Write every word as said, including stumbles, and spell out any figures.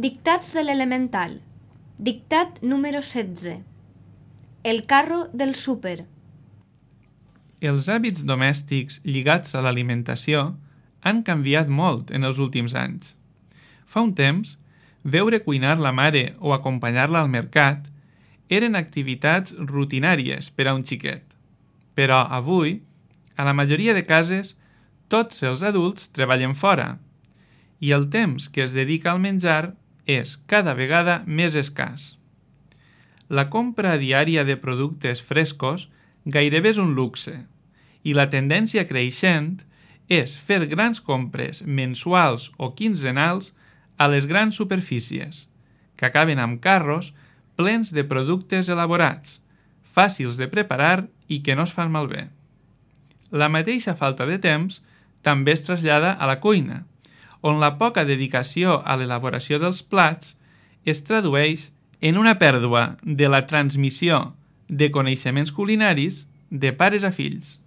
Dictats de l'elemental. Dictat número setze. El carro del súper. Els hàbits domèstics lligats a l'alimentació han canviat molt en els últims anys. Fa un temps, veure cuinar la mare o acompanyar-la al mercat eren activitats rutinàries per a un xiquet. Però avui, a la majoria de cases, tots els adults treballen fora i el temps que es dedica al menjar és cada vegada més escàs. La compra diària de productes frescos gairebé és un luxe i la tendència creixent és fer grans compres mensuals o quinzenals a les grans superfícies, que acaben amb carros plens de productes elaborats, fàcils de preparar i que no es fan malbé. La mateixa falta de temps també es trasllada a la cuina, on la poca dedicació a l'elaboració dels plats es tradueix en una pèrdua de la transmissió de coneixements culinaris de pares a fills.